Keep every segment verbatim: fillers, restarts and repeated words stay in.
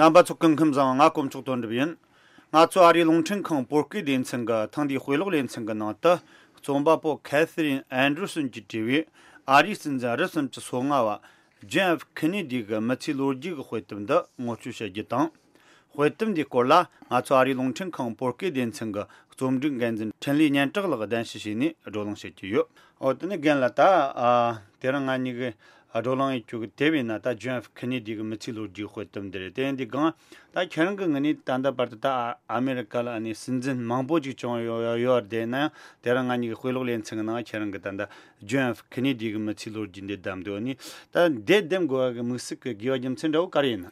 རྣམ་པ་ཚོ་སྐུ་ཁམས་བཟང་། ང་དཀོན་མཆོག་དོན་གྲུབ་ཡིན། ང་ཚོ་ཨ་རིའི་རླུང་འཕྲིན་ཁང་བོད་སྐད་སྡེ་ཚན་གྱི་ཐེངས་འདིའི་དཔེ་ཀློག་ལེ་ཚན་གྱི་ནང་དུ། རྩོམ་པ་པོ་ཁེ་ཐི་རིན་ཨན་ཌར་སོན་གྱིས་བྲིས་པའི་ཨ་རིའི་སྲིད་འཛིན་རིམ་བྱོན་གྱི་སོ་ལྔ་བ་ཇོན་ཨེཕ་ཁེ་ནེ་ཌི་གི་མི་ཚེའི་ལོ་རྒྱུས་ཀྱི་དཔེ་དེབ་འདི་ངོ་སྤྲོད་བྱ་རྒྱུ་དང་། དཔེ་དེབ་འདིའི་སྐོར་ལ་ང་ཚོ་ཨ་རིའི་རླུང་འཕྲིན་ཁང་བོད་སྐད་སྡེ་ཚན་གྱི་རྩོམ་སྒྲིག་འགན་འཛིན་འཕྲིན་ལས་སྙན་གྲགས་ལགས་གདན་ཞུ་བྱས་ནས་བགྲོ་གླེང་བྱེད་ཀྱི་ཡོད། འོ་དེ་ནས་རྒན་ལགས། ད་ཨ་དེ་རིང་ང་གཉིས་ཀྱིས་བགྲོ་གླེང་བྱེད་རྒྱུ་གི་དེབ་ཡིན་ན་ད་ཇོན་ཨེཕ་ཁེ་ནེ་ཌི་གི་མི་ཚེའི་ལོ་རྒྱུས་དཔེ་དེབ་འདི་རེད། དེ་ཡིན་དུས་སྒང་ད་ཁྱེད་རང་གི་ངོས་ནས་ད་ལྟ་བར་དུ་ད་ཨ་ཨ་མེ་རི་ཀ་ལ་ཨ་ནི་སྲིད་འཛིན་མང་པོ་ཅིག་བྱུང་ཡོད་ཡོད་རེད། ཡིན་ན་ཡང་དེ་རིང་ང་གཉིས་ཀྱི་དཔེ་ཀློག་ལེ་ཚན་གྱི་ནང་ཁྱེད་རང་གིས་ད་ལྟ་ཇོན་ཨེཕ་ཁེ་ནེ་ཌི་གི་མི་ཚེའི་ལོ་རྒྱུས་འདི་བདམས་འདུག་ཨ་ནི་ད་འདི་འདེམས་དགོས་པ་གི་དམིགས་བསལ་གྱི་དགོས་པ་རྒྱུ་མཚན་འདྲ་བོ་ག་རེ་ཡིན་ན།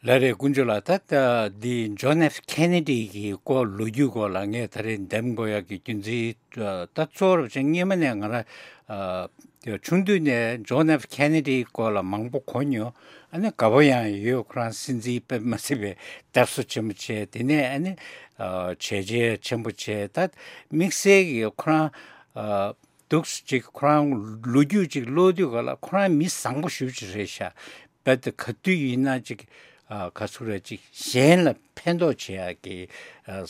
ལགས་རེད། དཀོན་མཆོག་ལགས། ད་ལྟ་འདི་ཇོན་ཨེཕ་ཁེ་ནེ་ཌི་གི་སྐོར་ལོ་རྒྱུས་སྐོར་ལ་ངས་ད་རེས་འདེམས་དགོས་ཡག་གི་རྒྱུ་མཚན། ད་གཙོ་བོར་བྱས་སྔོན་མ་ནས་ང་རང་ཨ་ཆུང་དུས་ནས་ཇོན་ཨེཕ་ཁེ་ནེ་ཌི་སྐོར་ལ་མང་པོ་གོ་མྱོང་། ཨ་ནི་དགའ་པོ་ཡང་ཡོད། ཁོ་རང་སྲིད་འཛིན་དཔེ་མ་སྲིད་པའི་དར་སྲོལ་ཆེན་པོ་བྱས། དེ་ནས་ཨ་ནི་ཨ་བྱས་རྗེས་ཆེན་པོ་བྱས། ད་དམིགས་བསལ་གྱི་ཁོ་རང་ཨ་འདུག་སེ་ཅིག་ཁོ་རང་ལོ་རྒྱུས་ཅིག་ཀློག་དུས་ག་ལ་ཁོ་རང་མི་བཟང་པོ་ཞེ་པོ་ཅིག་རེད་ཤག་རྦད་དེ་ག་དུས་ཡིན་ན་ཅིག་ཨ་ག་ཚོད་རེད། ཅིག་གཞན་ལ་ཕན་ཐོགས་བྱེད་ཡག་གི་ཨ་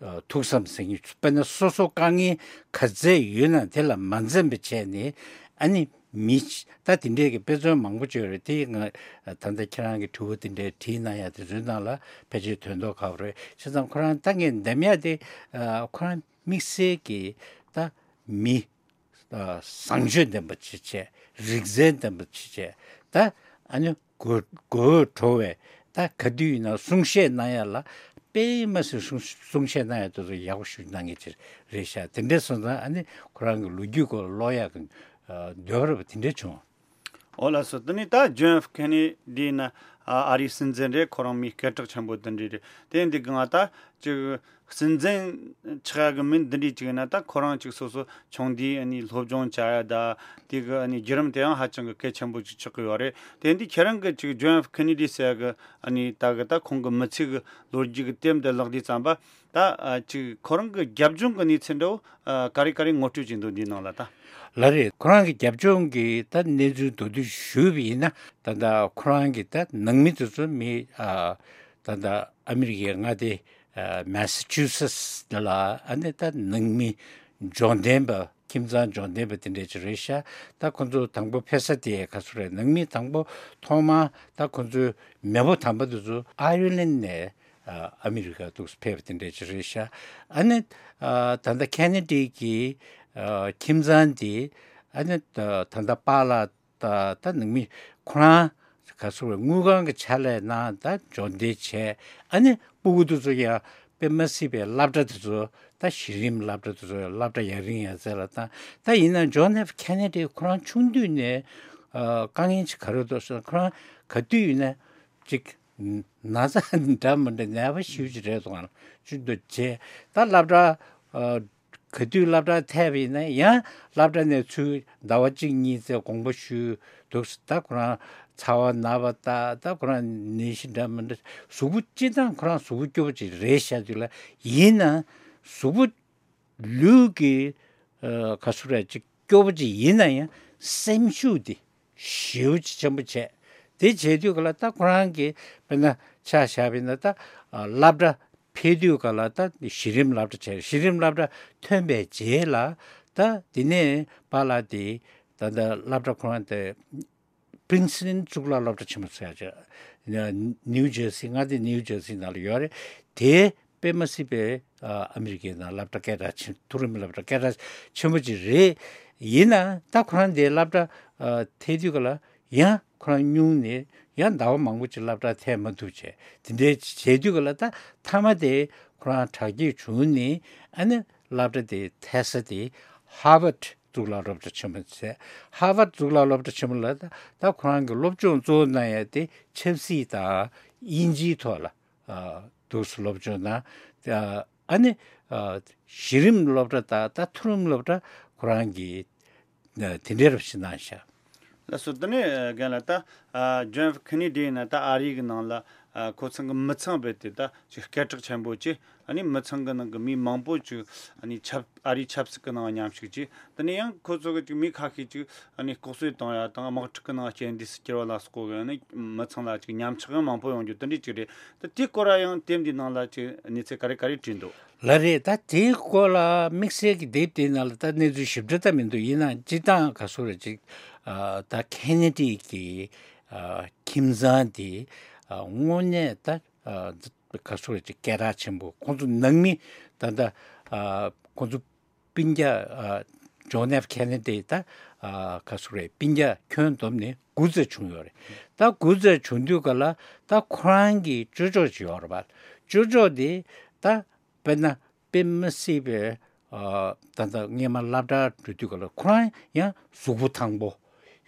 ཨ་ཐུགས་བསམ་ཟེར་མཁན། དཔེར་ན་སོ་སོ་དཀའ་ངལ་ག་ཚད་ཡོད་ན་དེ་ལ་མ་འཛེམས་པ་བྱས་ནས། ཨ་ནི་མི་ད་དེ་འདྲས་ཀྱི་དཔེ་མཚོན་མང་པོ་བརྗོད་རེད། དེ་ང་ད་ལྟ་ཁྱེད་རང་གི་དྲི་བ་དེ་འདྲས་དྲིས་གནང་ཡ་དེ་ཚོའི་ནང་ལ་ཕལ་ཆེར་དོན་དག་ག་བ་རེད། བྱས་ཙང་ཁོ་རང་ད་ངས་འདེམས་ཡ་དེ་ཨ་ཁོ་རང་དམིགས་བསལ་གྱི་ད་མི་ཨ་བཟང་སྤྱོད་ལྡན་པ་ཅིག་བྱས། རིག་རྩལ་ལྡན་པ་ཅིག་བྱས། ད་ཨ་ནི་དགོད་དགོད་བྲོ་བའི་ད་ག་དུས་ཡིན་ན་གསུང་བཤད་གནང་ཡ་ལ་དཔེ་མ་སྲིད། གསུང་གསུང་བཤད་གནང་ཡ་དེ་ཚོ་ཡག་པོ་ཞིག་གནང་མཁན་ཅིག་རེད་ཤག་དེ་འདྲས་སོང་ཙང་ཨ་ནི་ཁོ་རང་གི་ལོ་རྒྱུས་སྐོར་ཀློག་ཡག་གི་ཨ་འདོད་པ་རེད་པ། དེ་འདྲས་བྱུང་། འོ་ལགས་སོ། དེ་ནས་ད་ཇོན་ཨེཕ་ཁེ་ནེ་ཌི་ཡིན་ན་ཨ་ཨ་རིའི་སྲིད་འཛིན་རེད། ཁོ་རང་མི་སྐད་གྲགས་ཆེན་པོ་དེ་འདྲས་རེད། དེ་འདི་གང་ད་ཅིག་སྲིད་འཛིན་ཆགས་ཡག་གི་མི་འདི་འདྲས་ཅིག་ཡིན་ན་ད་ཁོ་རང་ཅིག་སོ་སོ་ཆུང་དུས་ཨ་ནི་སློབ་སྦྱོང་བྱ་ཡ་ད་དེ་གི་ཨ་ནི་བརྒྱུད་རིམ་དེ་ཡང་ཧ་ཅང་གི་གལ་ཆེན་པོ་ཅིག་ཆགས་ཀྱི་ཡོད་རེད། དེ་འདི་ཁྱེད་རང་གི་ཅིག་ཇོན་ཨེཕ་ཁེ་ནེ་ཌི་ཟེར་ཡག་གི་ཨ་ནི་ད་གི་ད་ཁོང་གི་མི་ཚེ་གི་ལོ་རྒྱུས་གི་དེབ་འདི་བཀླགས་དུས་ཙམ་པ། ད་ཨ་ཅིག་ཁོ་རང་གི་རྒྱབ་ལྗོངས་གི་གནས་ཚུལ་འདྲ་བོ་ཨ་ག་རེ་ག་རེ་ངོ་སྤྲོད་བྱེད་འདུག་འདིའི་ནང་ལ་ད། ལགས་རེད། ཁོ་རང་གི་རྒྱབ་ལྗོངས་ཀྱི་ད་གནས་ཚུལ་མདོར་བསྡུས་ཞུས་པ་ཡིན་ན། ད་ལྟ་ཁོ་རང་གི་ད་ནང་མི་དེ་ཚོ་མི་ཨ་ད་ལྟ་ཨ་མི་རི་ཀའི་མངའ་སྡེ་ཨ་མེ་སི་ཆུ་སེ་ཊི་ལ་ཨ་ནི་ད་ནང་མི་འབྱོར་ལྡན་པ། ཁྱིམ་ཚང་འབྱོར་ལྡན་པ་དེ་འདྲས་ཅིག་རེད་ཤག་ད་ཁོ་ཚོ་དང་པོ་ཕེབས་ས་དེ་ག་ཚོད་རེད། ནང་མི་དང་པོ་ཐོག་མར་ད་ཁོ་ཚོའི་མེས་པོ་དམ་པ་དེ་ཚོ་ཨའི་རི་ལན་ནས་ཨ་ཨ་མི་རི་ཀ་འདུག་སེ་ཕེབས་པ་དེ་འདྲས་ཅིག་རེད་ཤག་ཨ་ནི་ཨ་ད་ལྟ་ཁེ་ནེ་ཌི་གི་ཨ་ཁྱིམ་ཚང་དེ་ཨ་ནི་ད་ད་ལྟ་པཱ་ལགས་ད་ད་ནང་མི་ཁོ་རང་ག་ཚོད་རེད། དངུལ་ཁང་གི་ཕྱག་ལས་གནང་། ད་འབྱོར་ལྡན་བྱས། ཨ་ནི་སྤུ་གུ་དེ་ཚོ་ཡང་དཔེ་མ་སྲིད་པའི་སློབ་གྲྭ་དེ་ཚོ། ད་གཞི་རིམ་སློབ་གྲྭ་དེ་ཚོ་སློབ་གྲྭ་ཡར་རྒྱས་ཡར་རྩེ་ལ་བཏང་། ད་ཡིན་ན་ཇོན་ཨེཕ་ཁེ་ནེ་ཌི་ཁོ་རང་ཆུང་དུས་ནས་ཨ་དཀའ་ངལ་ཅིག་ག་རེ་འདུག་ཟེར་ན། ཁོ་རང་ག་དུས་ཡིན་ན་ཅིག་ན་ཚ་འདྲ་མི་འདྲ་ནད་པ་ཞེ་པོ་ཅིག་རེད་འདུག་ག་ཅིག་འདུག་བྱས། ད་སློབ་གྲྭ་ཨ་ག་དུས་སློབ་གྲྭ་ཐེབས་པ་ཡིན་ན་ཡང་སློབ་གྲྭ་ནས་ཚུར་ཟླ་བ་གཅིག་གཉིས་ཙམ་དགོངས་པ་ཞུས་འདུག་ད་ཁོ་རང་ཚ་བ་ན་བ་དང་། ད་ཁོ་རང་ནད་གཞི་འདྲ་མི་འདྲ། གཟུགས་པོ་སྤྱིར་བཏང་ཁོ་རང་གཟུགས་པོ་སྐྱོ་པོ་ཅིག་རེད་ཤག་དུས་ལ། ཡིན་ན་གཟུགས་པོ་ལུས་ཀྱི་ཨ་ག་ཚོད་རེད། ཅིག་སྐྱོ་པོ་ཅིག་ཡིན་ན་ཡང་སེམས་ཤུགས་དེ་ཞེ་པོ་ཅིག་ཆེན་པོ་བྱས། དེ་བྱས་དུས་ག་ལ་ད་ཁོ་རང་གི་དཔེར་ན་ཆ་བཞག་པ་ཡིན་ན། ད་ཨ་སློབ་གྲྭ་ཕེབས་དུས་ག་ལ་ད་གཞི་རིམ་སློབ་གྲྭ་བྱས། གཞི་རིམ་སློབ་གྲྭ་ཐོན་པའི་རྗེས་ལ་ད་དེ་ནས་པཱ་ལགས་དེ་ད་ད་སློབ་གྲྭ་ཁོ་རང་དེ་པི་རིན་སི་ཊོན་གཙུག་ལག་སློབ་གྲྭ་ཆེན་མོ་ཟེར་ཡ་ཅིག་ནིའུ་ཇར་སི། མངའ་སྡེ་ནིའུ་ཇར་སི་ནང་ལ་ཡོད་རེད། དེ་དཔེ་མ་སྲིད་པའི་ཨ་ཨ་མི་རི་ཀའི་ནང་སློབ་གྲྭ་སྐད་གྲགས་ཆེན། མཐོ་རིམ་སློབ་གྲྭ་སྐད་གྲགས་ཆེན་པོ་ཅིག་རེད། ཡིན་ན་ད་ཁོ་རང་དེ་སློབ་གྲྭ་ཨ་ཐེབས་དུས་ག་ལ་ཡང་ཁོ་རང་སྙུང་ནས་ཡང་ཟླ་བ་མང་པོ་ཅིག་སློབ་གྲྭ་ཐེབས་མ་ཐུབ་བྱས། དེ་འདྲའི་བྱས་དུས་ག་ལ་ད་མཐའ་མ་དེ་ཁོ་རང་དྲག་སྐྱེད་བྱུང་ནས་ཨ་ནི་སློབ་གྲྭ་དེ་ཐེབས་ས་དེ་ཧར་ཝརཌ་གཙུག་ལག་སློབ་གྲྭ་ཆེན་མོ་ཟེར། ཧར་ཝརཌ་གཙུག་ལག་སློབ་གྲྭ་ཆེན་མོ་ལ་ད་ད་ཁོ་རང་གི་སློབ་སྦྱོང་གཙོ་བོ་གནང་ཡ་དེ་ཆབ་སྲིད་དང་དབྱིན་ཇིའི་ཐོག་ལ་ཨ་འདུག་སེ་སློབ་སྦྱོང་གནང་། ཨ་ཨ་ནི་ཨ་གཞི་རིམ་སློབ་གྲྭ་དང་ད་མཐོ་རིམ་སློབ་གྲྭ་ཁོ་རང་གིས་ཨ་དེ་འདྲའི་རབ་ཞིག་གནང་ཤག་ལགས་སོ། དེ་ནས་རྒན་ལགས། ད་ཨ་ཇོན་ཨེཕ་ཁེ་ནེ་ཌི་ཡིན་ན་ད་ཨ་རི་གི་ནང་ལ་ ཨ་ཁོ་ཚང་གི་མི་ཚང་རྦད་དེ་ད་ཅིག་སྐད་གྲགས་ཆེན་པོ་ཅིག་ཨ་ནི་མི་ཚང་གི་ནང་གི་མི་མང་པོ་ཅིག་ཨ་ནི་ཆབ་ཨ་རིའི་ཆབ་སྲིད་ཀྱི་ནང་མཉམ་ཞུགས་ཅིག་དེ་ནས་ཡང་ཁོ་ཚོ་གི་ཅིག་མི་ཁ་ཤས་ཅིག་ཨ་ནི་ལྐོག་གསོད་བཏང་ཡ་དང་དམག་འཁྲུག་གི་ནང་རྐྱེན་འདས་སུ་གྱུར་བ་ལ་སོགས་ཀྱི་ཨ་ནི་མི་ཚང་ལ་ཅིག་ཉམས་ཆག་ཡང་མང་པོ་ཡོང་རྒྱུ་དེ་འདྲ་ཅིག་རེད། ད་དེའི་སྐོར་ལ་ཡང་དེབ་འདིའི་ནང་ལ་ཅིག་གནས་ཚུལ་ག་རེ་ག་རེ་བྲིས་འདུག་ལགས་རེད། ད་དེའི་སྐོར་ལ་དམིགས་བསལ་གྱི་དེབ་དེའི་ནང་ལ་ད་གནས་ཚུལ་ཞིབ་ཕྲ་ད་མི་འདུག་ཡིན་ནའང་སྤྱིར་བཏང་ག་ཟེར་རེད་ཅིག་ཨ་ད་ཁེ་ནེ་ཌི་གི་ཨ་ཁྱིམ་ཚང་དེ་ཨ་དངོས་གནས་ད་ཨ་ག་ཟེར་རེད་ཅིག་སྐད་གྲགས་ཆེན་པོ། ཁོང་ཚོ་ནང་མི་ད་ད་ཨ་ཁོང་ཚོ་སྤུན་ཀྱག་ཨ་ཇོན་ཨེཕ་ཁེ་ནེ་ཌི་ད་ཨ་ག་ཟེར་རེད། སྤུན་ཀྱག་ཁྱོན་བསྡོམས་ནས་དགུ་ཙམ་བྱུང་ཡོད་རེད། ད་དགུ་ཙམ་བྱུང་དུས་ག་ལ་ད་ཁོ་རང་གི་ཅོ་ཅོ་ཅིག་ཡོད་རེད་པ། ཅོ་ཅོ་དེ་ད་དཔེར་ན་དཔེ་མི་སྲིད་པའི་ཨ་ད་ལྟ་སྔས་མ་སློབ་གྲྭར་འགྲོ་དུས་ག་ལ་ཁོ་རང་ཡང་གཟུགས་པོ་ཐང་པོ།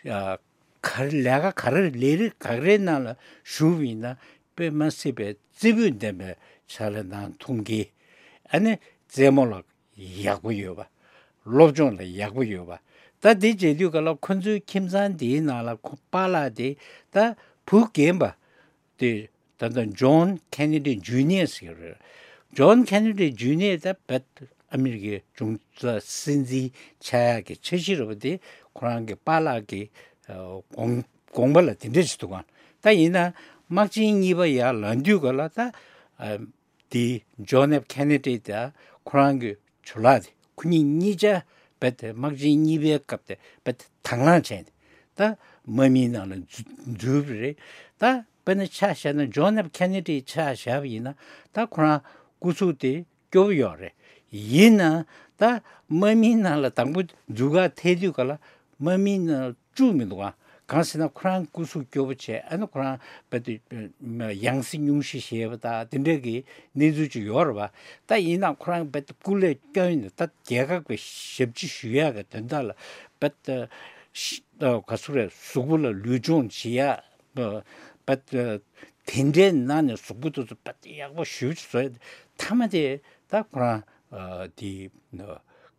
ཨ་ག་རེ་ལས་ཀ་ག་རེ་ལས་རིགས་ག་རེའི་ནང་ལ་ཞུགས་པ་ཡིན་ན་དཔེ་མི་སྲིད་པའི་རྩེ་ཕུད་ལྡན་པའི་ཕྱག་ལས་གནང་ཐུབ་མཁན། ཨ་ནི་རྩེད་མོ་ལ་ཡག་པོ་ཡོད་པ། སློབ་སྦྱོང་ལ་ཡག་པོ་ཡོད་པ། ད་དེ་བྱེད་དུས་ག་ལ་ཁོ་ཚོའི་ཁྱིམ་ཚང་དེའི་ནང་ལ་ཁོ་པཱ་ལགས་དེ་ད་བུ་རྒན་པ་དེ་ད་ལྟ་ཇོན་ཁེ་ནེ་ཌི་ཇུ་ནི་ཡར་ཟེར་གྱི་རེད། ཇོན་ཁེ་ནེ་ཌི་ཇུ་ནི་ཡར་ད་བེད་ཨ་མི་རི་ཀའི་གཞུང་སྲིད་འཛིན་ཆགས་ཡག་གི་འཆར་གཞི་རེད་པ། དེ་ཁོ་རང་གི་པཱ་ལགས་ཀྱི་ཨ་དགོངས་དགོངས་པ་ལ་དེ་འདྲ་ཞིག་འདུག་ག་ད་ཡིན་ན་དམག་ཆེན་གཉིས་པ་ཡར་ལངས་དུས་ག་ལ་ད་ཨ་དེ་ཇོན་ཨེཕ་ཁེ་ནེ་ཌི་དང་ཁོ་རང་གི་ཇོ་ལགས་དེ་ཁོ་གཉིས་གཉིས་ཆ་རྦད་དེ་དམག་ཆེན་གཉིས་པའི་སྐབས་དེ་རྦད་དེ་དང་བླངས་བྱས་ནས་ད་དམག་མིའི་ནང་ལ་འཛུལ་འཛུལ་བ་རེད། ད་དཔེར་ན་ཆ་བཞག་ན་ཇོན་ཨེཕ་ཁེ་ནེ་ཌི་ཆ་བཞག་པ་ཡིན་ན་ད་ཁོ་རང་སྐུ་གཟུགས་དེ་སྐྱོ་པོ་ཡོད་རེད། ཡིན་ན་ད་དམག་མིའི་ནང་ལ་དང་པོ་འཛུལ་ག་ཐད་དུས་ག་ལ་དམག་མིའི་ནང་བཅུག་མི་འདུག་ག་གང་ཟེར་ན་ཁོ་རང་སྐུ་གཟུགས་སྐྱོ་པོ་བྱས། ཨ་ནི་ཁོ་རང་རྦད་དེ་ཡང་སྲིད་སྙུང་གཞི་བཞེས་པ་དང་དེ་འདྲ་གི་གནས་ཚུལ་ཅིག་ཡོད་རེད་པ། ད་ཡིན་ན་ཁོ་རང་རྦད་དེ་སྐུ་ལས་བསྐྱོན་ནས་ད་རྒྱལ་ཁབ་ཀྱི་ཞབས་ཕྱི་ཞུ་ཡག་གི་དོན་དག་ལ་རྦད་དེ་ག་ཟེར་རེད། གཟུགས་པོ་ལ་ལུས་སྦྱོང་བྱེད་ཡག་རྦད་དེ་དེ་འདྲའི་ནང་ནས་གཟུགས་པོ་དེ་ཚོ་རྦད་དེ་ཡག་པོ་ཞེ་པོ་ཅིག་བཟོས། མཐའ་མ་དེ་ད་ཁོ་རང་ཨ་དེ་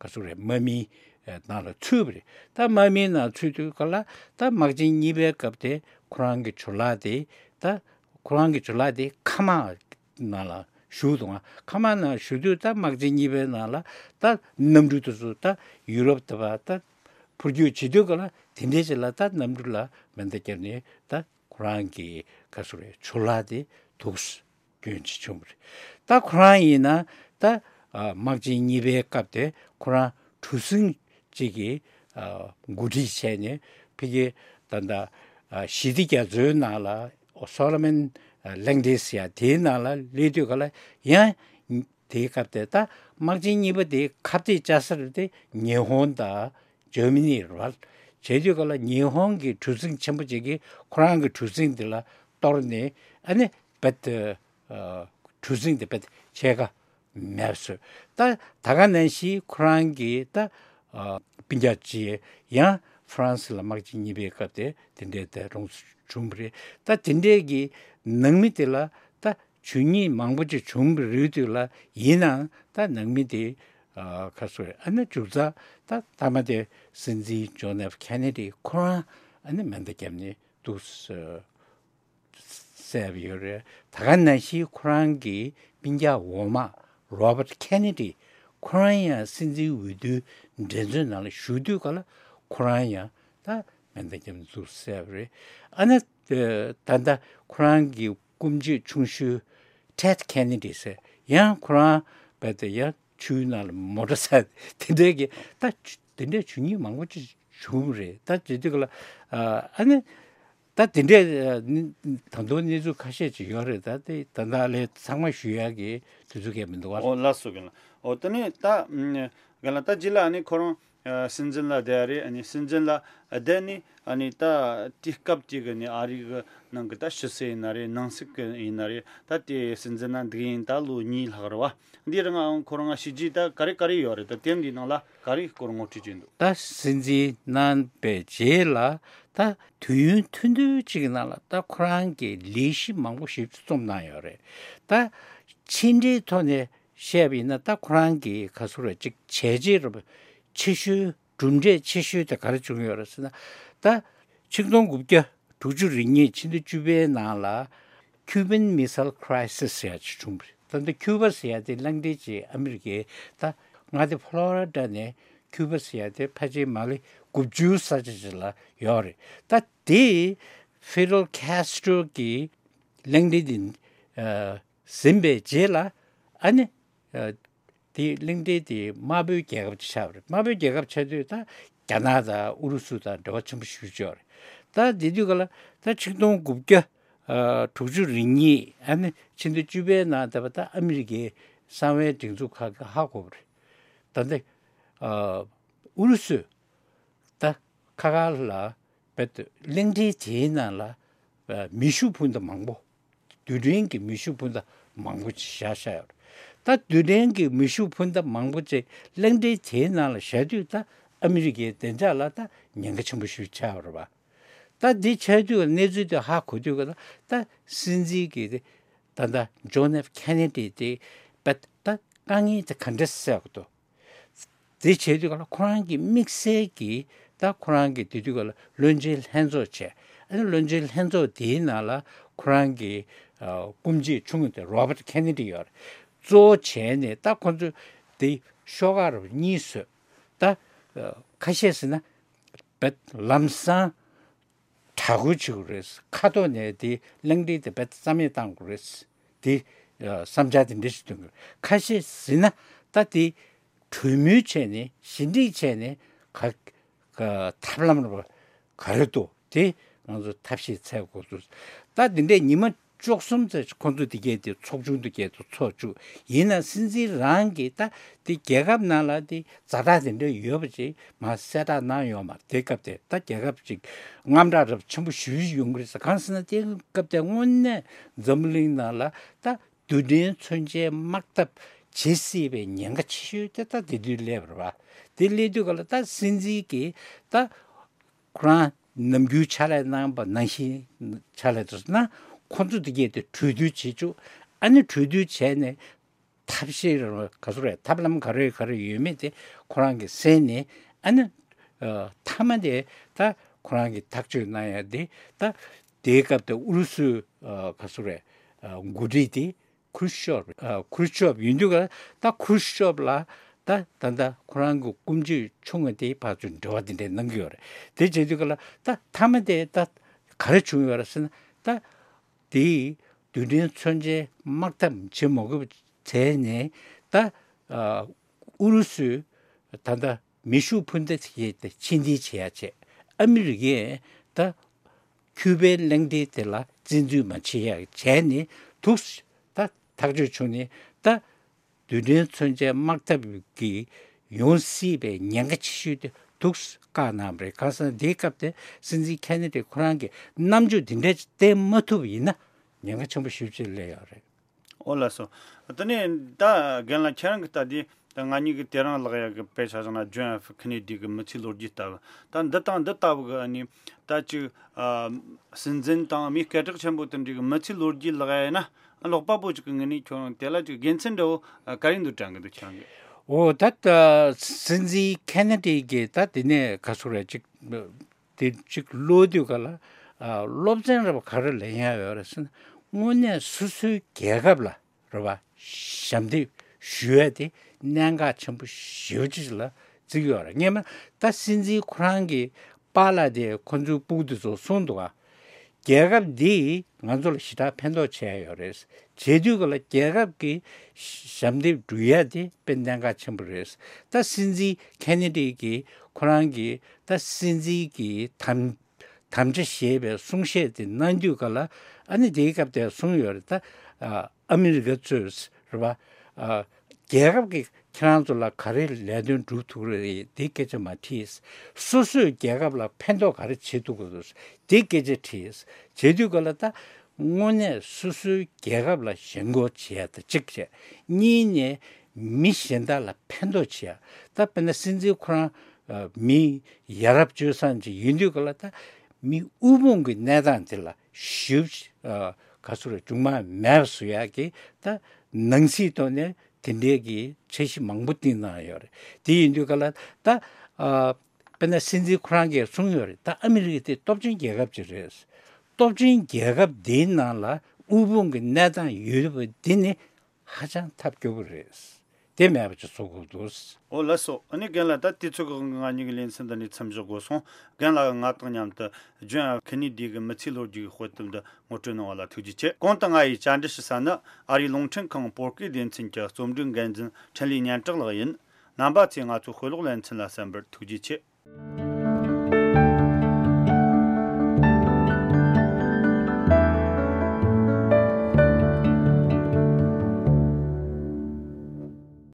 ག་ཟེར་རེད། དམག་མིའི་ནང་ལ་ཚུད་པ་རེད། ད་དམག་མིའི་ནང་ཚུད་དུས་ག་ལ་ད་དམག་ཆེན་གཉིས་པའི་སྐབས་དེ་ཁོ་རང་གི་ཇོ་ལགས་དེ་ད་ཁོ་རང་གི་ཇོ་ལགས་དེ་མཁའ་དམག་ནང་ལ་ཞུགས་འདུག་ག་མཁའ་དམག་ནང་ཞུགས་དུས་ད་དམག་ཆེན་གཉིས་པའི་ནང་ལ་ད་གནམ་གྲུ་དེ་ཚོ་ད་ཡུ་རོབ་དེ་བར་ད་འཕུར་སྐྱོད་བྱེད་དུས་ག་ལ་དེ་འདྲའི་ཅིག་ལ་ད་གནམ་གྲུ་ལ་མེ་མདའ་བརྒྱབ་ནས་ད་ཁོ་རང་གི་ག་ཟེར་རེད། ཇོ་ལགས་དེ་འདུག་སེ་སྐྱོན་ཅིག་བྱུང་བ་རེད། ད་ཁོ་རང་ཡིན་ན་ད་ཨ་དམག་ཆེན་གཉིས་པའི་སྐབས་དེ་ཁོ་རང་གྲུ་གཟིངས་གཅིག་གི་ཨ་འགོ་ཁྲིད་བྱས་ནས་ཕ་གི་ད་ལྟ་ཨ་ཞི་བདེ་རྒྱ་མཚོའི་ནང་ལ་སོ་ལོ་མོན་ཨ་གླིང་ཕྲན་ཟེར་ཡ་དེའི་ནང་ལ་སླེབས་དུས་ག་ལ་ཡང་དེའི་སྐབས་དེ་ད་དམག་ཆེན་གཉིས་པ་དེའི་ཁ་གཏད་བཅའ་ས་རེད་དེ་ཉི་ཧོང་དང་། འཇར་མ་ནི་རེད་པ། བྱས་དུས་ག་ལ་ཉི་ཧོང་གི་གྲུ་གཟིངས་ཆེན་པོ་ཅིག་གིས་ཁོ་རང་གི་གྲུ་གཟིངས་དེ་ལ་གཏོར་ནས་ཨ་ནི་རྦད་དེ་ཨ་གྲུ་གཟིངས་དེ་རྦད་དེ་ཕྱེད་ཀ་མེད་པ་བཟོས། ད་ད་ག་ནང་བཞིན་ཁོ་རང་གི་ད་ཨ་སྤུན་ཀྱག་ཅིག་ཡང་ཧྥ་རན་སི་ལ་དམག་ཆེན་གཉིས་པའི་སྐབས་དེ་དེ་འདྲའི་དེ་རུང་བྱུང་བ་རེད། ད་དེ་འདྲའི་གི་ནང་མི་དེ་ལ་ད་ཇུས་ཉེས་མང་པོ་ཅིག་བྱུང་བ་རེད་དུས་ལ། ཡིན་ནའང་ད་ནང་མི་དེ་ཨ་ཁ་སོ་ཨ་ནི་མཇུག་རྩ་ད་མཐའ་མ་དེ་སྲིད་འཛིན་ཇོན་ཨེཕ་ཁེ་ནེ་ཌི་ཁོ་རང་ཨ་ནི་མེ་མདའ་བརྒྱབ་ནས་འདུག་སེ་བསད་པ་ཡོད་རེད། ད་ག་ནང་བཞིན་ཁོ་རང་གི་སྤུན་ཀྱག་འོག་མ་རོ་བར་ཁེ་ནེ་ཌི་ཁོ་རང་ཡང་སྲིད་འཛིན་འོས་བསྡུའི་འགྲན་རྩོད་ནང་ལ་ཞུགས་དུས་ག་ལ་ཁོ་རང་ཡང་ད་མེ་མདའ་བརྒྱབ་ནས་འདུག་སེ་བསད་པ་རེད། ཨ་ནི་ད་ལྟ་ཁོ་རང་གི་སྐུ་མཆེད་ཆུང་ཤོས་ཊེད་ཁེ་ནེ་ཌི་ཟེར་ཡང་ཁོ་རང་རྦད་དེ་ཡང་ཆུའི་ནང་ལ་མོ་ཊ་བསད། དེ་འདྲའི་གི་ད་དེ་འདྲའི་ཇུས་ཉེས་མང་པོ་ཅིག་བྱུང་བ་རེད། ད་དེ་དུས་ག་ལ་ཨ་ནི་ད་དེ་འདྲའི་ད་དུང་གནས་ཚུལ་ཁ་ཤས་ཅིག་ཡོད་རེད། ད་དེ་ད་ལྟ་ལས་ཚང་མ་ཞུ་ཡག་གི་དུས་ཚོད་གས་མི་འདུག་བ། ཨོ་ལགས་སོ། གི་ལ་ཨོ་དེ་ནས་ད་ག་ལ་ད་རྗེས་ལ་ཨ་ནི་ཁོ་རང་ཨ་སྲིད་འཛིན་ལ་བསྡད་རེད། ཨ་ནི་སྲིད་འཛིན་ལ་བསྡད་ནས་ཨ་ནི་ད་དེ་སྐབས་དེ་གི་ནི་ཨ་རི་གི་ནང་གི་ད་ཕྱི་སྲིད་ཡིན་ན་རེད། ནང་སྲིད་གི་ཡིན་ན་རེད། ད་དེ་སྲིད་འཛིན་ན་འདུག་ཡིན་ད་ལོ་གཉིས་ལྷག་རེད་བ། འདི་རིང་ཨང་ཁོ་རང་ང་བྱས་རྗེས་ད་ག་རེ་ག་རེ་ཡོད་རེད། ད་དེབ་འདིའི་ནང་ལ་ག་རེ་སྐོར་ངོ་སྤྲོད་བྱས་འདུག་ད་སྲིད་འཛིན་གནང་པའི་རྗེས་ལ་ད་དུས་ཡུན་ཐུང་ཐུང་ཅིག་གི་ནང་ལ་ད་ཁོ་རང་གིས་ལས་གཞི་མང་པོ་ཞིག་རྩོམ་གནང་ཡོད་རེད། ད་ཕྱི་འབྲེལ་ཐོག་ནས་བཤད་པ་ཡིན་ན་ད་ཁོ་རང་གི་ག་ཟེར་རེད་ཅིག་བྱས་རྗེས་རེད་པ། ཆེ་ཤོས་གྲུབ་འབྲས་ཆེ་ཤོས་དེ་ག་རེ་བྱུང་ཡོད་རེད་ཟེར་ན། ད་ཆིག་སྟོང་དགུ་བརྒྱ་དྲུག་ཅུ་རེ་གཉིས་ཕྱི་ཟླ་བཅུ་པའི་ནང་ལ་ Cuban Missile Crisis ཟེར་ཡ་ཅིག་བྱུང་བ་རེད། ད་ལྟ་ཁྱུ་པ་ཟེར་ཡ་དེ་གླེང་སྟེགས་ཀྱི་ཨ་མི་རི་ཀའི་ད་མངའ་སྡེ་ཕོ་ལོ་རི་ཌ་ནས་ཁྱུ་པ་ཟེར་ཡ་དེ་ཕལ་ཆེར་མ་ལེ་དགུ་བཅུ་ས་ཆ་ཅིག་ལ་ཡོད་རེད། ད་དེ་Fidel Castro གི་གླེང་སྟེགས་དེ་ཟིན་པའི་རྗེས་ལ་ཨ་ནི། དེ་གླེང་སྟེགས་དེ་དམར་པོའི་རྒྱལ་ཁབ་ཅིག་ཆགས་པ་རེད། དམར་པོའི་རྒྱལ་ཁབ་ཆགས་དུས་ད་རྒྱ་ནག་དང་ཨུ་རུ་སུ་དང་འབྲེལ་བ་ཆེན་པོ་ཞེ་པོ་ཅིག་ཡོད་རེད། ད་དེ་དུས་ག་ལ་ད་ཆིག་སྟོང་དགུ་བརྒྱ་དྲུག་ཅུ་རེ་གཉིས་ཨ་ནི་ཕྱི་ཟླ་བཅུ་པའི་ནང་ད་བར་ད་ཨ་མི་རི་ཀའི་གསང་བའི་སྒྲིག་འཛུགས་ཁག་གིས་ཧ་གོ་བ་རེད། ད་ལྟ་ཨུ་རུ་སུས་ད་ཁ་ཁ་ལ་བེད་གླེང་སྟེགས་དེའི་ནང་ལ་མེ་ཤུགས་འཕུར་མདའ་མང་པོ། རྡུལ་ཕྲན་གྱི་མེ་ཤུགས་འཕུར་མདའ་མང་པོ་ཅིག་བཞག་བཞག་ཡོད་རེད། ད་རྡུལ་ཕྲན་གྱི་མེ་ཤུགས་འཕུར་མདའ་མང་པོ་ཅིག་གླེང་སྟེགས་དེའི་ནང་ལ་བཞག་དུས་ད་ཨ་མི་རི་ཀའི་བདེ་འཇགས་ལ་ད་ཉེན་ཁ་ཆེན་པོ་ཞིག་ཆགས་ཡོད་རེད་པ། ད་འདི་ཆགས་དུས་གནས་ཚུལ་དེ་ཧ་གོ་དུས་ག་ད་ད་སྲིད་འཛིན་གྱི་དེ་ད་ད་ཇོན་ཨེཕ་ཁེ་ནེ་ཌི་དེ་བེད་ད་དཀའ་ངལ་དེ་ག་འདྲ་སེལ་དགོས་འདུག་དེ་བྱས་དུས་ག་ལ་ཁོ་རང་གི་དམིགས་བསལ་གྱི་ད་ཁོ་རང་གི་དེ་དུས་ག་ལ་བློན་ཆེན་ལྷན་ཚོགས་བྱས། ཨ་ནི་བློན་ཆེན་ལྷན་ཚོགས་དེའི་ནང་ལ་ཁོ་རང་གི་ཨ་སྐུ་མཆེད་ཆུང་ངུ་དེ་རོ་བར་ཊི་ཁེ་ནེ་ཌི་ཡོད་རེད། གཙོ་བོ་བྱས་ནས་ད་ཁོ་ཚོས་དེ་ཤོག་ཁག་རུ་གཉིས་བཟོས། ད་ཨ་ཁ་ཤས་ཟེར་ན་བེད་ལམ་སང་དྲག་རྒོལ་བྱེད་དགོས་རེད། ཁ་ཐོག་ནས་དེ་གླེང་སྟེགས་དེ་བེད་རྩ་མེད་གཏང་དགོས་རེད། དེ་ཨ་བསམ་འཆར་དེ་འདྲ་ཞིག་འདོན་དགོས། ཁ་ཤས་ཟེར་ན་ད་དེ་གྲོས་མོལ་བྱས་ནས་ཞི་འགྲིག་བྱས་ནས་ག་ག་ཐབས་ལམ་ར་ག་རེ་འདུག་དེ་ང་ཚོ་ཐབས་ཤེས་འཚོལ་དགོས་འདུག་ད་དེ་འདྲས་ཉི་མ་བཅུ་གསུམ་ཙམ་ཁོང་ཚོ་དེ་གས་དེ་ཚོགས་ཆུང་དེ་གས་དེ་ཚོགས་བཅུག་ཡིན་ན་སྲིད་འཛིན་རང་གིས་ད་དེ་རྒྱལ་ཁབ་ནང་ལ་དེ་ཛ་དྲག་དེ་འདྲ་ཡོད་པ་ཅིག་མར་གསལ་བསྒྲགས་གནང་ཡོད་མ་རེད། དེ་སྐབས་དེ་ད་རྒྱལ་ཁབ་ཅིག་དངངས་སྐྲག་རབ་ཆེན་པོ་ཞེ་པོ་ཅིག་ཡོང་གི་རེད་ཟེར། གང་ཟེར་ན་དེ་སྐབས་དེ་དངོས་གནས་འཛམ་བུ་གླིང་ནང་ལ་ད་རྡུལ་ཕྲན་མཚོན་ཆའི་དམག་འཐབ་བྱེད་སྲིད་པའི་ཉེན་ཁ་ཆེ་ཤོས་དེ་ད་དེ་དུས་སླེབས་པ་རེད་པ། དེ་སླེབས་དུས་ག་ལ་ད་སྲིད་འཛིན་གྱིས་ད་ཁོ་རང་ནམ་རྒྱུན་ཕྱག་ལས་གནང་པ་ནང་བཞིན་ཕྱག་ལས་དུ་ན་ཁོ་ཚོ་དེ་གས་དེ་གྲོས་བསྡུར་བྱེད་བཅུག་ཨ་ནི་གྲོས་བསྡུར་བྱས་ནས་ཐབས་ཤེས་རང་ག་ཚོད་རེད། ཐབས་ལམ་ག་རེ་ག་རེ་ཡོད་མེད་དེ་ཁོ་རང་གིས་གསན་ནས་ཨ་ནི་ཨ་མཐའ་མ་དེ་ད་ཁོ་རང་གིས་ཐག་གཅོད་གནང་ཡ་དེ་ད་དེའི་སྐབས་དེ་ཨུ་རུ་སུའི་ཨ་ག་ཚོད་རེད། ཨ་འགོ་ཁྲིད་དེ་ཁུར་ཤོབ། ཨ་ཁུར་ཤོབ་ཡིན་དུས་ག་ད་ཁུར་ཤོབ་ལ་ད་ད་ད་ཁོ་རང་གི་སྐུ་མཆེད་ཆུང་ངུ་དེ་ཕར་ཚུར་འབྲེལ་བ་དེ་འདྲ་གནང་གི་ཡོད་རེད། དེ་བྱེད་དུས་ག་ལ་ད་མཐའ་མ་དེ་ད་ག་རེ་བྱུང་ཡོད་རེད་ཟེར་ན་ད་དེའི་རྡུལ་ཕྲན་མཚོན་ཆའི་དམག་འཐབ་བྱེད་མ་དགོས་པ་བྱས་ནས་ད་ཨ་ཨུ་རུ་སུས་ད་ད་མེ་ཤུགས་འཕུར་མདའ་དེ་ཕྱིར་འཐེན་བྱེད་ཡ་བྱས། ཨ་མི་རི་ཀས་ད་ཁྱུ་པའི་གླེང་སྟེགས་དེ་ལ་བཙན་འཛུལ་མ་བྱེད་ཡ་བྱས་ནས་འདུག་ད་ཐག་གཅོད་བྱུང་ནས་ད་རྡུལ་ཕྲན་མཚོན་ཆའི་དམག་འཐབ་ཀྱི་ཡོང་སྲིད་པའི་ཉེན་ཁ་ཆེ་ཤོས་དེ་འདུག་བཀག་གནང་བ་རེད། གང་ཟེར་ན་དེའི་སྐབས་དེ་སྲིད་འཛིན་ཁེ་ནེ་ཌི་ཁོ་རང་གིས་རྣམ་འགྱུར་འདི་འདྲ་བསྟན་མ་ཐུབ་ཡིན་ན་ཉེན་ཁ་ཆེན་པོ་ཞེ་པོ་ཅིག་སླེབས་ཡོད་རེད། ཨོ་ལགས་སོ། དེ་ནས་ད་རྒན་ལགས་ཁྱེད་རང་གི་ལྟ་དེ་ད་ང་གཉིས་ཀྱི་དེ་རིང་ལགས་ཡ་གི་དཔེ་ཆ་བཞག་ན་ཇོན་ཨེཕ་ཁེ་ནེ་ཌི་གི་མི་ཚེའི་ལོ་རྒྱུས་ལྟ་བུ་ད་འདི་དང་འདི་ལྟ་བུ་གི་ཨ་ནི་ད་ཅིག་ཨ་སྲིད་འཛིན་དང་མིའི་སྐད་གྲགས་ཆེན་པོ་དེ་འདྲ་གི་མི་ཚེའི་ལོ་རྒྱུས་ལགས་ཡ་ན་ལོག་པ་པོ་ཅིག་གི་ངོས་ནས་ཁྱོད་རང་དེ་ལ་ཅིག་དགེ་མཚན་འདྲ་བོ་ག་རེ་འདུག་དྲན་གི་འདུག་ཁྱེད་རང་གི་ཨོ་ད་ད་སྲིད་འཛིན་ཁེ་ནེ་ཌི་གི་ད་དེ་ནས་ག་ཚོད་རེད་ཅིག་དེ་གཅིག་ཀློག་དུས་ག་ལ་ཨ་སློབ་ཚན་ར་བ་ག་རེ་ལེན་ཡ་ཡོད་རེད་ཟེར་ན། དངོས་གནས་སོ་སོའི་རྒྱལ་ཁབ་ལ་ར་བ་ཞབས་འདེགས་ཞུ་ཡ་དེ་གནད་འགག་ཆེན་པོ་ཞེ་པོ་ཅིག་ལ་བརྩི་གི་ཡོད་རེད། སྔན་མ་ད་སྲིད་འཛིན་ཁོ་རང་གི་པཱ་ལགས་དེ་ཁོ་ཚོའི་སྤུ་གུ་དེ་ཚོ་གསུངས་འདུག་ག་རྒྱལ་ཁབ་འདིས་ང་ཚོ་ལ་ཞེ་དྲག་ཕན་ཐོགས་བྱས་ཡོད་རེད། བྱེད་དུས་ག་ལ་རྒྱལ་ཁབ་ཀྱི་ཞབས་འདེགས་སྒྲུབ་ཡ་དེ་དཔེ་གནད་འགག་ཆེན་པོ་རེད། ད་སྲིད་འཛིན་ཁེ་ནེ་ཌི་གིས་ཁོ་རང་གི་ད་སྲིད་འཛིན་གྱི་དམ་དམ་བཅའ་ཞེས་པའི་གསུང་བཤད་དེ་གནང་དུས་ག་ལ་ཨ་ནི་དེའི་སྐབས་དེར་གསུངས་ཡོད་རེད། ད་ཨ་མི་རི་ཀ་གཙོས་རེད་པ། རྒྱལ་ཁབ་ཀྱིས་ཁྱེད་རང་ཚོ་ལ་ག་རེ་ལས་དོན་སྒྲུབ་ཐུབ་ཀྱི་རེད་དེ་སྐད་ཆ་མ་དྲིས། སོ་སོས་རྒྱལ་ཁབ་ལ་ཕན་ཐོགས་ག་རེ་བྱེད་ཐུབ་ཀྱི་རེད་དེ་སྐད་ཆ་དྲིས། བྱེད་དུས་ག་ལ་ད་དངོས་གནས་སོ་སོའི་རྒྱལ་ཁབ་ལ་ཞེན་ཁོག་བྱེད་ཡ་ད་གཅིག་བྱས། གཉིས་ནས་མི་གཞན་དག་ལ་ཕན་ཐོགས་བྱེད་ཡ། ད་དཔེར་ན་སྲིད་འཛིན་ཁོ་རང་ཨ་མི་ཡ་རབས་སྤྱོད་བཟང་ཅིག་ཡིན་དུས་ག་ལ་ད་མི་དབུལ་ཕོངས་ཀྱི་གནས་སྟངས་དེ་ལ་ཞིབ་ཨ་ག་ཚོད་རེད་མཇུག་མ་མེད་པ་བཟོ་ཡག་གི་ད་ནང་སྲིད་ཐོག་ནས་དེ་འདྲའི་གི་འཆར་གཞི་མང་པོ་བཏིང་གནང་ཡོད་རེད། དེ་ཡིན་དུས་ག་ལ་ད་ཨ་དཔེར་ན་སྲིད་འཛིན་ཁོ་རང་གིས་གསུངས་ཡོད་རེད། ད་ཨ་མི་རི་ཀ་དེ་སྟོབས་ཆེན་རྒྱལ་ཁབ་ཅིག་རེད། སྟོབས་ཆེན་རྒྱལ་ཁབ་དེའི་ནང་ལ་ དབུལ་ཕོངས་ཀྱི་གནས་སྟངས་ཡོད་པ་འདི་ནི་ཧ་ཅང་ཐབས་སྐྱོ་པོ་རེད། དེ་མེད་པ་ཅིག་བཟོ་དགོས་འདུག། ཨོ་ལགས་སོ། ཨ་ནི་རྒན་ལགས། ད་དུས་ཚོད་ཀྱི་དབང་གིས་ང་གཉིས་ཀྱི་ལེ་ཚན་འདི་ནས་མཚམས་བཞག་དགོས་སོང་། རྒན་ལགས་ཀྱིས་ང་དང་མཉམ་དུ་ཇོན་ཨེཕ་ཁེ་ནེ་ཌི་གི་མི་ཚེའི་ལོ་རྒྱུས་ཀྱི་དཔེ་དེབ་འདི་ངོ་སྤྲོད་གནང་བ་ལ་ཐུགས་རྗེ་ཆེ། གོང་དུ་ང་ཡིས་བཅར་འདྲི་ཞུ་ས་ནི་ཨ་རིའི་རླུང་འཕྲིན་ཁང་བོད་སྐད་སྡེ་ཚན་གྱི་རྩོམ་སྒྲིག་འགན་འཛིན་འཕྲིན་ལས་སྙན་གྲགས་ལགས་ཡིན། རྣམ་པ་ཚོས་ང་ཚོའི་དཔེ་ཀློག་ལེ་ཚན་ལ་གསན་པར་ཐུགས་རྗེ་ཆེ།